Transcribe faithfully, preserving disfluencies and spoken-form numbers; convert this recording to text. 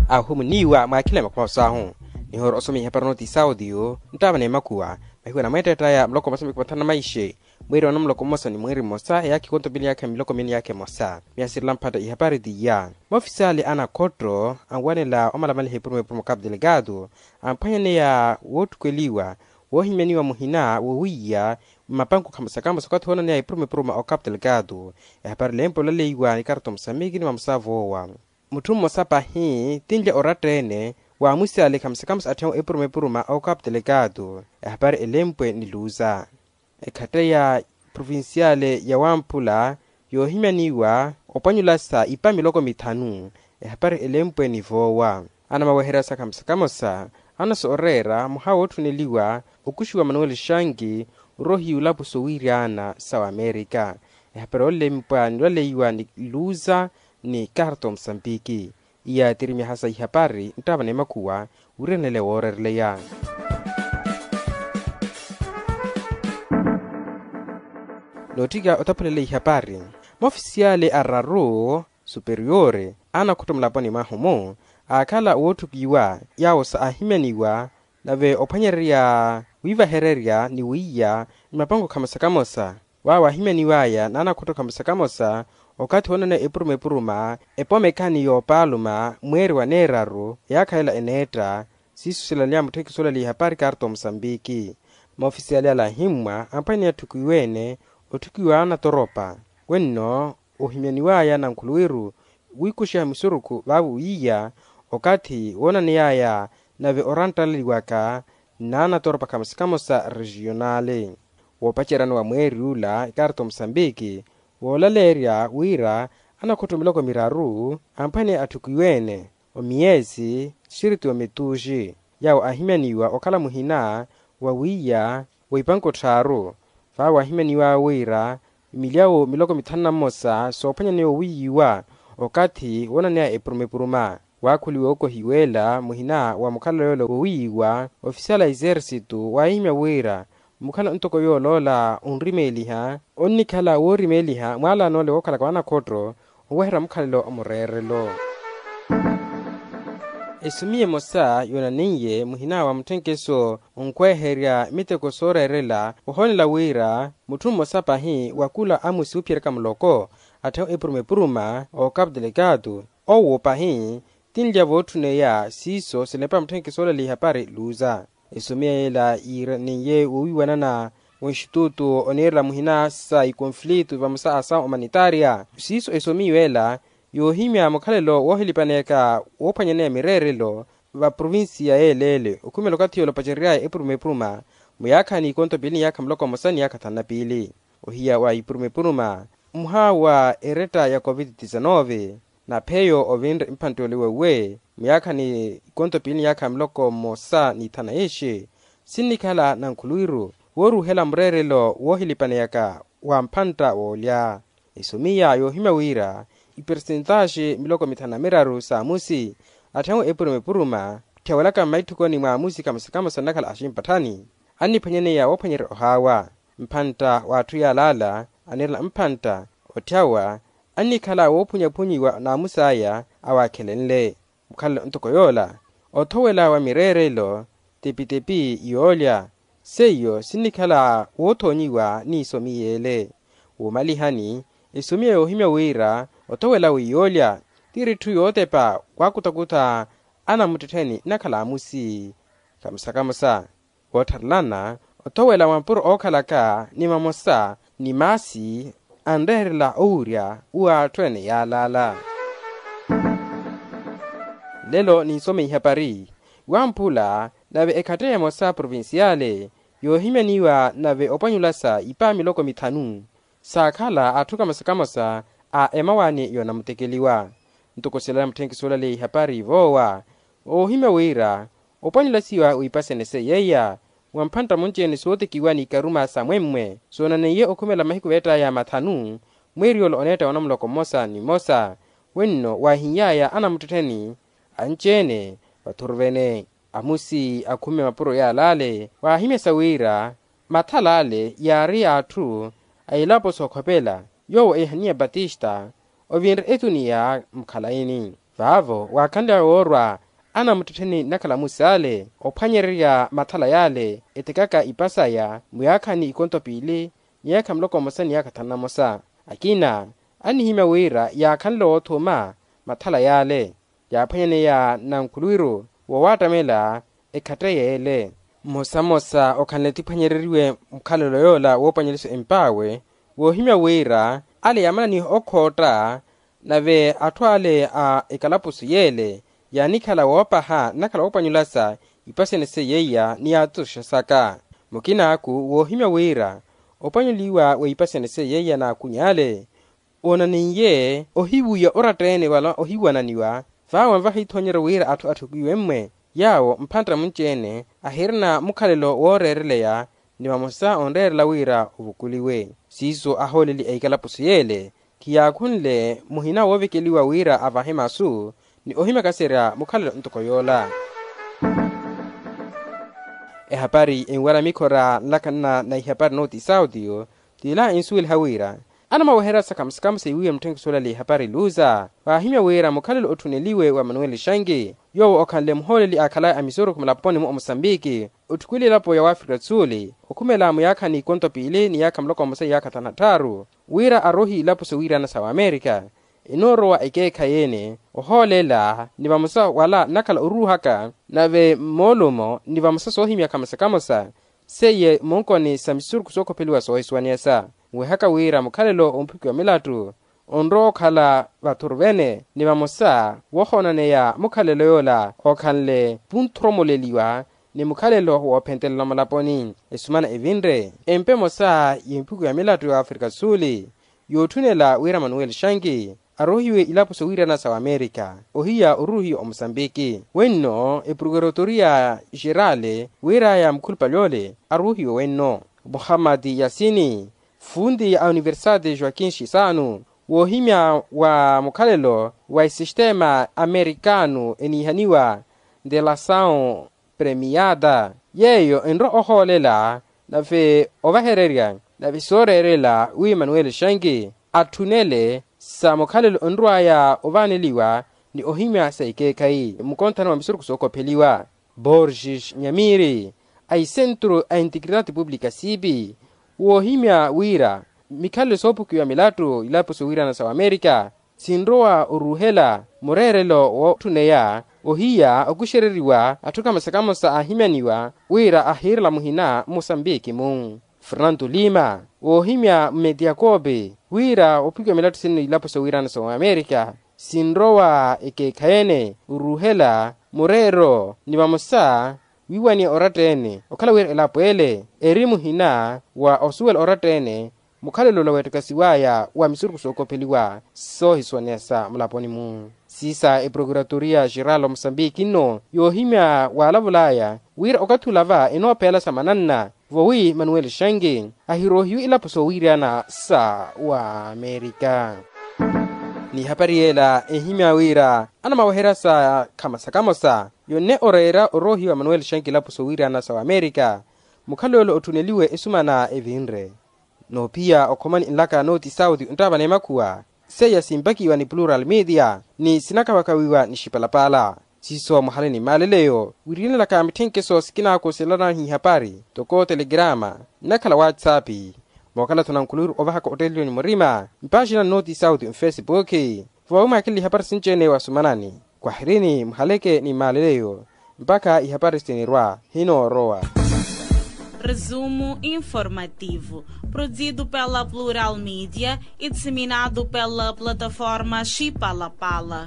Ahumuniwa mwakhila makhuma saahu. Nihoora osoma ihapari notice audio nttaava n'emakuwa. Mahiku anamweetteettaya muloko mmosa ni mahiku mathanu na maixe, mweeri wa namuloko mmosa ni mweeri mmosa eyaakha ikonto pili ni yaakha miloko mili ni yaakha emosa. Miyasirela mphatta ihapari t'iya. Moofisiyali a nakhotto anwanela omalamaliha epuruma epuruma okapu delegado amphwanyaneya woottukweliwa woohimyaniwa muhina wowiiya mmapanku khamosa khamosa okathi woonaneya epuruma epuruma okapu delegado. Ehapari elempo olaleiwa ni karto musambiki ni mamusavoowa. Mutthu mmosa pahi tinlya oratta-ene waamusiyale khamosa khamosa atthiyahu epuruma epuruma okapu delegado. Ehapari elempwe ni luza. Ekhatta ya provinsiyale ya wamphula yoohimyaniwa opwanyulasa ipa miloko mithanu. Ehapari elempwe ni voowa. Anamaweherya sa khamosa khamosa anasooreera muha wootthuneliwa okuxiwa manuweli xanki oroohiya ulapo sowiiryaana sa wamerika. Ehapari olempwa ni olaleiwa ni luza ni karto musambiki. Iya tirimyaha sa ihapari nttaava n'emakhuwa wiiranele wooreereleya. Nootthika otaphulela ihapari. Moofisiyale araru superiyoori anakhutto mulaponi mwahu-mu aakhala wootthukiwa yaawo sa aahimyaniwa nave ophwanyererya wiivahererya ni wiiya mmapango khamosa khamosa. Waawo aahimyaniw'aya n'anakhutto khamosa khamosa okathi woonaneya epuruma epuruma epomekani y'opaaluma mweeri wa neeraru eyaakha ela eneetta. Siiso silalya mutthekisi olaliha parkarto musambiki. Moofisiyali ala ahimmwa amphwanyani atthukiwe-ene otthukiwa anatoropa. Wenno ohimyaniw'aya nankhuluwiru wiikuxiha musurukhu vaavo wiiya okathi woonaney'aya nave oranttalaliwaka n'anatoropa khamosa khamosa rejiyonali. Woopaceryani wa mweeri ula ekarto musambiki woolaleerya wira anakhutto miloko miraru amphwene atthukiwe-ene omiyeesi sirti ometuuxi yaawo aahimyaniwa okhala muhina wa wiiya wa ipanko tthaaru. Vaawo aahimyaniw'awe wira milyawo miloko mithanu na mmosa soophwanyaneya owiiyiwa okathi woonaneya epuruma epuruma. Waakhuliwa okohiw'ela muhina wa mukhalelo yoola wowiiyiwa ofisiyali a exercito waahimya wira mukhalelo ntoko yooloola onrimeeliha onnikhala woorimeeliha mwaalanoole wookhalaka wanakhotto oweherya mukhalelo omureerelo. Esomiya emosa yoonaneiye muhina wa mutthenkeso onkweherya miteko sooreerela ohoonela wira mutthu mmosa pahi wa kula amusi oophiyeryaka muloko atthiyahu epuruma epuruma okapu delegado owo pahi tinlya vootthuneya siiso silepa mutthenkeso olaliha pari luza. Esomiya ela yiiraneiye wowiiwanana wa institutu oniirela muhina sa ikonflito vamosa a asawu humanitaria siiso esomiya ela yoohimya mukhalelo woohilipaneyaka woophwanyaneya mireerelo va provinsiya y'eleele okhumela okathi yoola opacerery'aya epuruma epuruma muyaakhani ikonto piili ni yaakha muloko mmosa ni yaakha thanu na piili. Ohiya wa ipuruma epuruma mmuha wa eretta ya covid disanove na pheyo ovinre mphantte ole wauwe muyaakhani ikonto piili ni yaakha miloko mmosa ni thanu na iixi sinnikhala nankhuluwiru wooruuhela mureerelo woohilipaneyaka wa mphantta woolya. Esomiya yoohimya wira ipersentaxi miloko mithanu na miraru s'amusi atthiyahu epuruma epuruma tthiyawelaka mmaitthukoni mw'amusi khamosa khamosa nnakhala aximpatthani anniphwanyaneya woophwanyerya ohaawa mphantta w'atthu yaalaala aniirela mphantta otthyawa annikhala woophunyaphunyiwa n'amus'aya awaakhelenle. Mukhalelo ntoko yoola othowela wa mireerelo tepitepi yoolya seiyo sinnikhala woothoonyiwa n'isomiya ele. Woomalihani esomiya yoohimya wira othowela w'iyoolya tiri etthu yootepa waakutakuta anamuttettheni nnakhala amusi khamosa khamosa. Woottharelana othowela mapuro ookhalaka ni mamosa ni maasi anreherela owurya w'atthu ene yaalaala. Lelo ninsome ihapari wamphula nave ekhatte emosa provinsiyale yoohimyaniwa nave opwanyulasa ipa miloko mithanu saakhala atthu kamosa kamosa a emawaani yoonamutekeliwa. Ntoko silala mutthenki soolaleya ihapari voowa oohimya wira opwanyulasiwa wipasene seiya iya mwa mphantta munci-ene sootekiwa n'ikaruma sa mwemmwe soonaneiye okhumela mahiku veett'aya mathanu mweeri yoola oneetta wa namuloko mmosa ni mmosa wenno waahiny'aya anamuttettheni anci-ene vathuru vene. Amusi akhumme mapuro yaalaale waahimyasa wira mathal'ale yaari y'atthu a ilapo sookhopela yoowo ehaniya batista ovinre etuniya mukhalayini. Vaavo waakhanly'awe woorwa anamuttettheni nnakhala musi ale ophwanyererya mathala y'ale etekaka ipa saya muyaakhani ikonto piili, miyaakha muloko mmosa ni yaakha thanu na mosa. Akina anihimya wira yaakhanle woothuma mathala y'ale yaaphwanyaneya nankhuluwiru wowaattamela ekhatte y'ele. Mmosa mmosa okhanle tiphwanyereriwe mukhalelo yoola woopwanyeliso emp'awe woohimya wira ale yaamananiha okhootta. Nave atthu ale a ekalapusu y'ele yaanikhala woopaha nnakhala woopwanyulasa ipasene seiya ni yaatotoxa saka. Mukin'aku woohimya wira opwanyuliwa wa ipasene seiya n'akun'ale oonaniye ohiwiya oratta-ene wala ohiwananiwa. Vaawe nvaha iithoonyeryo wira atthu atthukiwe-mmwe yaawo mphantta munci-ene ahirina mukhalelo wooreereleya ni vamosa onreerela wira ovukuliwe. Siiso ahooleli a ikalapusu y'ele khiyaakhunle muhina woovekeliwa wira avahe masu ni ohimyakaserya mukhalelo ntoko yoola. Ehapari enwara mikhora nlakhanana na ihapari nooti sauti yo tila ensuweliha wira anamaweherya sakhamusakhamusa iwiiwe mutthenkiso olale ihapari luza waahimya wira mukhalelo otthuneliwe wa manuel shanki yoowo okhanle muhooleli aakhalaya a misurukhu mulaponi-mu omusambiki otthukwiile elapo ya wafrika do sul okhumela muyaakhani ikonto piili ni yaakha muloko mmosa iyaakha thanu na tthaaru wira arohi ilapo sowiirana sa wamerika enoorowa ekeekhayi-ene ohoolela ni vamosa wala nnakhala oruuhaka nave mmoolumo ni vamosa soohimyakha mmosa kamosa seiye moonkoni sa misurukhu sookhopeliwa soohisuwaneyasa nwehaka wira mukhalelo omphukiwa milattu onrowa okhala vathuru vene ni vamosa wohoonaneya mukhalelo yoola ookhanle vunthromoleliwa ni mukhalelo woophentelela mulaponi esumana evinre empa emosa yemphukiwa milattu ya afrika do sul yootthunela wira manuel shanki arohiwe ilapo sowiirana sa wamerika ohiya oruuhiwa omusambiki wenno eprokurotoria geral wiraya mukhulupale ole aruuhiwe wenno muhammad yasini funti a universidade joaquin shisano woohimya wa mukhalelo wa esistema amerikano eniihaniwa de lasaw premiada yeeyo enrwa ohoolela nave ovahererya nave sooreerela wi manuel shanki atthunele sa mukhalelo onrwaya ovaaneliwa ni ohimya sa ikeekhayi mukonthano wa misurukhu sookopheliwa borges nyamiri a isentru a integridade publica sipi woohimya wira mikhalelo soophukiwa milattu ilapo sowiirana sa wamerika sinrowa oruuhela mureerelo wootthuneya ohiya okuxereriwa atthu kamosa kamosa aahimyaniwa wira ahiirela muhina mmusambiki-mu fernando lima woohimya mmetiakope wira ophukiwa milattu sinno ilapo sowiirana sa wamerika sinrowa ekeekhayi-ene oruuhela mureero ni vamosa wiiwaniya oratta-ene okhala wira elapo ele eri muhina wa osuwela oratta-ene mukhalelo ola weettakasiwaya wa misurukhu sookopheliwa soohisuwaneya sa mulaponi-mu siisa eprokuratoria geral omusambiki nno yoohimya waalavulaya wira okathi olava enoopeela sa mananna vowi manuel shanki ahirohiwe ilapo soowiirana sa wamerika n'ihapari yeela ehimya wira anamaweherya sa khamosa khamosa yonne oreera oroohiwa manuel shanki ilapo soowiirana sa wamerika mukhalelo otthuneliwe esumana evinre noophiya okhomani nlaka nooti sauti onttaavana emakhuwa seiya simpakiwa ni plural media ni sinakawakawiwa ni xipalapala siiso muhale ni maaleleyo wirinelaka mitthenkeso sikinaakoselana n'ihapari toko telegrama nnakhala whatsapp mookhala-tho nankhuluwiru ovahaka otteleliwe ni murima mpaaxina nnooti sauti nfesipuki voowi mwaakhelele ihapari sinci-ene wasumanani kwahirini muhaleke ni maaleleyo mpakha ihapari sinirwa hinoorowa. Resumo informativo, produzido pela Plural Media e disseminado pela plataforma Chipalapala.